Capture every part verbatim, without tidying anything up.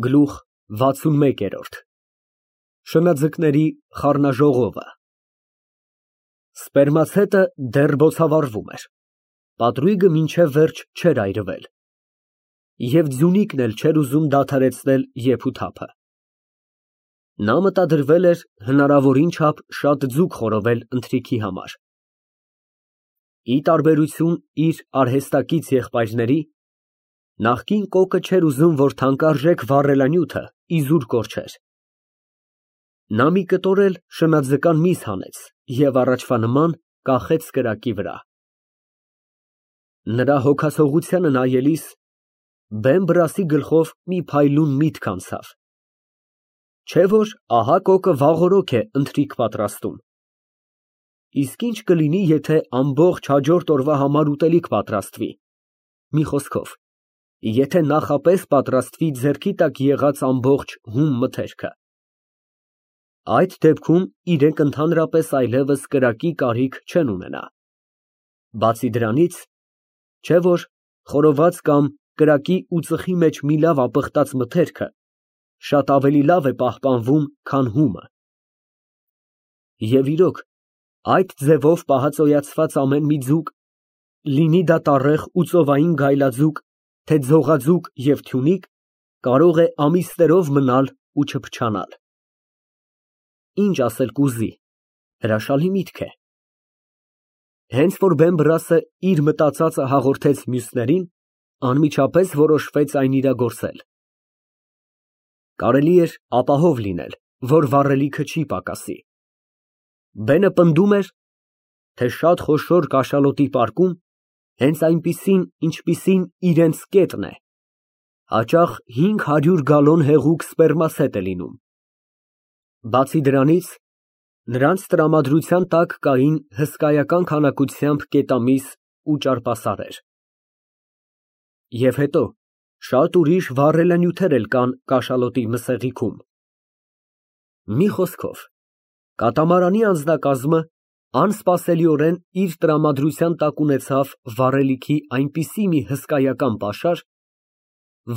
Գլուխ վաթսունմեկ։ Շնաձկների խառնաժողովը։ Սպերմացետը դեռ բոցավառվում էր, պատրույգը մինչև վերջ չէր այրվել, և ձյունիկն էլ չէր ուզում դադարեցնել եփ ու թափը։ Նա մտադրվել էր հնարավորին չափ շատ ձուկ խորովել ընթրիքի համար։ Ի տարբերություն իր արհեստակից եղբայրների, նախկին կոկը չէր ուզում, որ թանկարժեք վառելանյութը իզուր կորչեր։ Նա մի կտոր էլ շնաձկան միս հանեց և առաջվա նման կախեց կրակի վրա։ Նրա հոգացողությանը նայելիս բեմ֊բռասի գլխով մի փայլուն միտք անցավ, չէ՞ որ ահա կոկը վաղօրոք է ընթրիք պատրաստում։ Իսկ ի՞նչ կլինի, եթե ամբողջ հաջորդ օրվա համար ուտելիք պատրաստվի, մի խոսքով, եթե նախապես պատրաստվի ձեռքի տակ եղած ամբողջ հում մթերքը։ Այդ դեպքում իրենք ընդհանրապես այլևս կրակի կարիք չեն ունենա։ Բացի դրանից, չէ՞ որ խորոված կամ կրակի ու ծխի մեջ մի լավ ապխտած մթերքը շատ ավելի լավ է պահպանվում, քան հումը։ Եվ իրոք, այդ ձևով պահածոյացված ամեն մի ձուկ, լինի դա տառեղ ու ծովային գայլաձուկ, թե ձողաձուկ և թյունիկ, կարող է ամիսներով մնալ ու չփչանալ։ Ինչ ասել կուզի, հրաշալի միտք է։ Հենց որ բեմ֊բռասը իր մտածածը հաղորդեց մյուսներին, անմիջապես որոշվեց այն իրագործել։ Կարելի էր ապահով լինել, որ վառելիքը չի պակասի։ Բենը պնդում էր, թե շատ խոշոր կաշալոտի պարկում, հենց այնպիսին, ինչպիսին իրենց կետն է, հաճախ հինգ հարյուր գալոն հեղուկ սպերմացետ է լինում։ Բացի դրանից, նրանց տրամադրության տակ կային հսկայական քանակությամբ կետամիս ու ճարպասարեր։ Եվ հետո, շատ ուրիշ վառելանյութեր էլ կան կաշալոտի մսեղիքում։ Մի խոսքով, կատամարանի անձնակազմը անսպասելիորեն իր տրամադրության տակ ունեցավ վառելիքի այնպիսի մի հսկայական պաշար,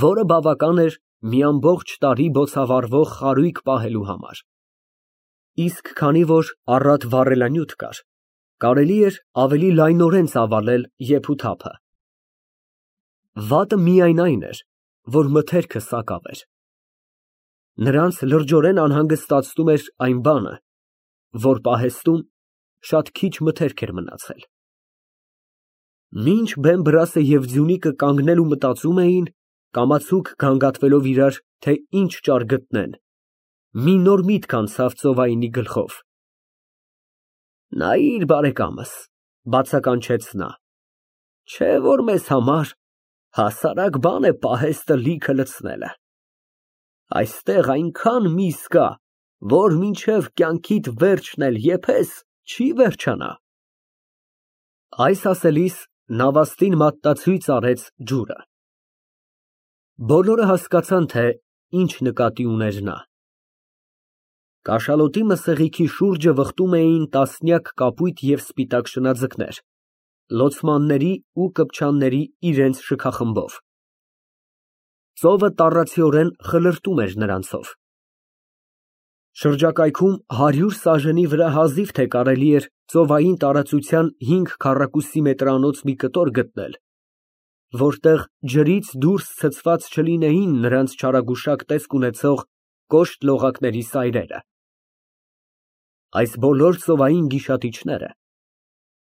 որը բավական էր մի ամբողջ տարի բոցավառվող խարույկ պահելու համար։ Իսկ քանի որ առատ վառելանյութ կար, կարելի էր ավելի լայնորեն ծավալել եփ ու թափը։ Վատը միայն այն էր, որ մթերքը սակավ էր։ Նրանց լրջորեն անհանգստացնում էր այն բանը, որ պահեստում շատ քիչ մթերք էր մնացել։ Մինչ բեմ֊բռասը և ձյունիկը կանգնել ու մտածում էին, կամացուկ գանգատվելով իրար, թե ինչ ճար գտնեն, մի նոր միտք անցավ ծովայինի գլխով։ Նայիր, բարեկամս, բացականչեց նա, չէ՞ որ մեզ համար հասարակ բան է պահեստը լիքը լցնելը։ Այստեղ այնքան միս կա, որ մինչև կյանքիդ վերջն էլ եփես, չի վերջանա։ Այս ասելիս նավաստին մատնացույց արեց ջուրը։ Բոլորը հասկացան, թե ինչ նկատի ուներ նա։ Կաշալոտի մսեղիքի շուրջը վխտում էին տասնյակ կապույտ և սպիտակ շնաձկներ, լոցմանների ու կպչանների իրենց շքախմբով։ Ծովը տառացիորեն խլրտում էր նրանցով։ Շրջակայքում հարյուր սաժենի վրա հազիվ թե կարելի էր ծովային տարածության հինգ քառակուսի մետրանոց մի կտոր գտնել, որտեղ ջրից դուրս ցցված չլինեին նրանց չարագուշակ տեսք ունեցող կոշտ լողակների սայրերը։ Այս բոլոր ծովային գիշատիչները,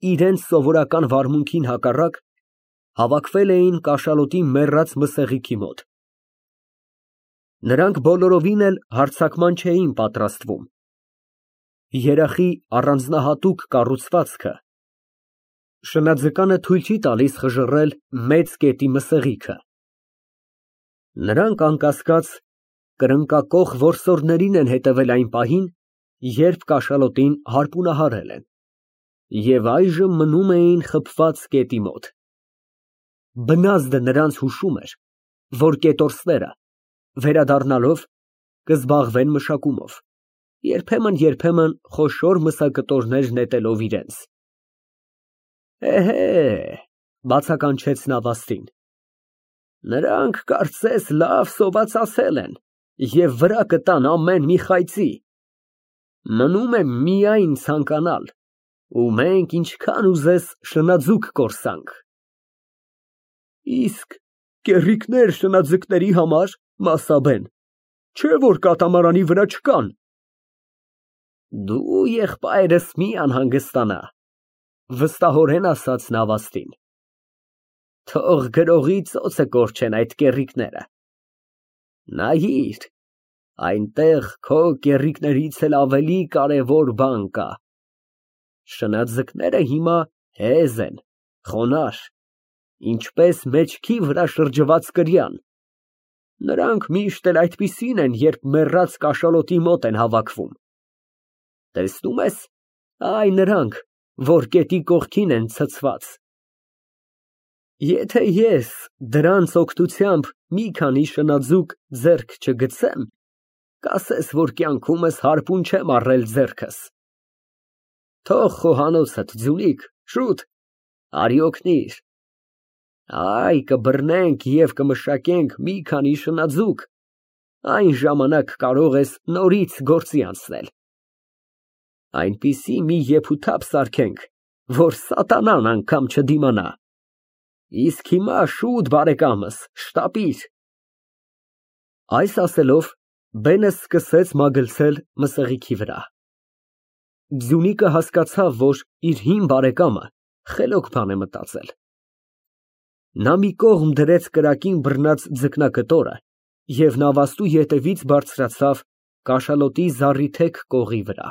իրենց սովորական վարմունքին հակառակ, հավաքվել էին կաշալոտի մեռած մսեղիքի մոտ։ Նրանք բոլորովին էլ հարձակման չէին պատրաստվում։ Երախի առանձնահատուկ կառուցվածքը շնաձկանը թույլ չի տալիս խժռել մեծ կետի մսեղիքը։ Նրանք, անկասկած, կրնկակոխ որսորդներին են հետևել այն պահին, երբ կաշալոտին հարպունահարել են, և այժմ մնում էին խփված կետի մոտ։ Բնազդը նրանց հուշում էր, որ կետորսները, վերադառնալով, կզբաղվեն մշակումով, երբեմն֊երբեմն խոշոր մսակտորներ նետելով իրենց։ Էհե, բացականչեց նավաստին, նրանք կարծես լավ սովածացել են։ և վրա կտան ամեն մի խայծի։ Մնում է միայն ցանկանալ, ու մենք ինչքան ուզես շնաձուկ կորսանք։ Իսկ կեռիկներ շնաձկների համար, Մասաբեն, չէ՞ որ կատամարանի վրա չկան։ Դու եղբայրս մի անհանգստանա, վստահորեն ասաց Նավաստին։ Թող գրողի ծոցը կորչեն այդ կեռիկները։ Նայիր, այնտեղ քո կեռիկներից էլ ավելի կարևոր բան կա։ Շնաձկները հիմա հեզ են, խոնարհ, ինչպես մեջքի վրա շրջված կրյան։ Նրանք միշտ էլ այդպիսին են, երբ մեռած կաշալոտի մոտ են հավաքվում։ Տեսնում ես, այ նրանք, որ գետի կողքին են ցցված։ Եթե ես դրանց օգնությամբ մի քանի շնաձուկ ձեռք չգցեմ, կասես, որ կյանքումս հարբուն չեմ առել ձեռքս։ Թող խոհանոցդ, ձյունիկ, շուտ, արի օգնիր։ Այ կբռնենք և կմշակենք մի քանի շնաձուկ, այն ժամանակ կարող ես նորից գործի անցնել։ Այնպիսի մի եփութափ սարքենք, որ սատանան անգամ չդիմանա։ Իսկ հիմա շուտ, բարեկամս, շտապիր։ Այս ասելով, բենը սկսեց մագլցել մսեղիքի վրա։ Ձյունիկը հասկացավ, որ իր հին բարեկամը խելոք բան է մտածել։ Նա մի կողմ դրեց կրակին բռնած ձկնակտորը և նավաստու ետևից բարձրացավ կաշալոտի զառիթեք կողի վրա։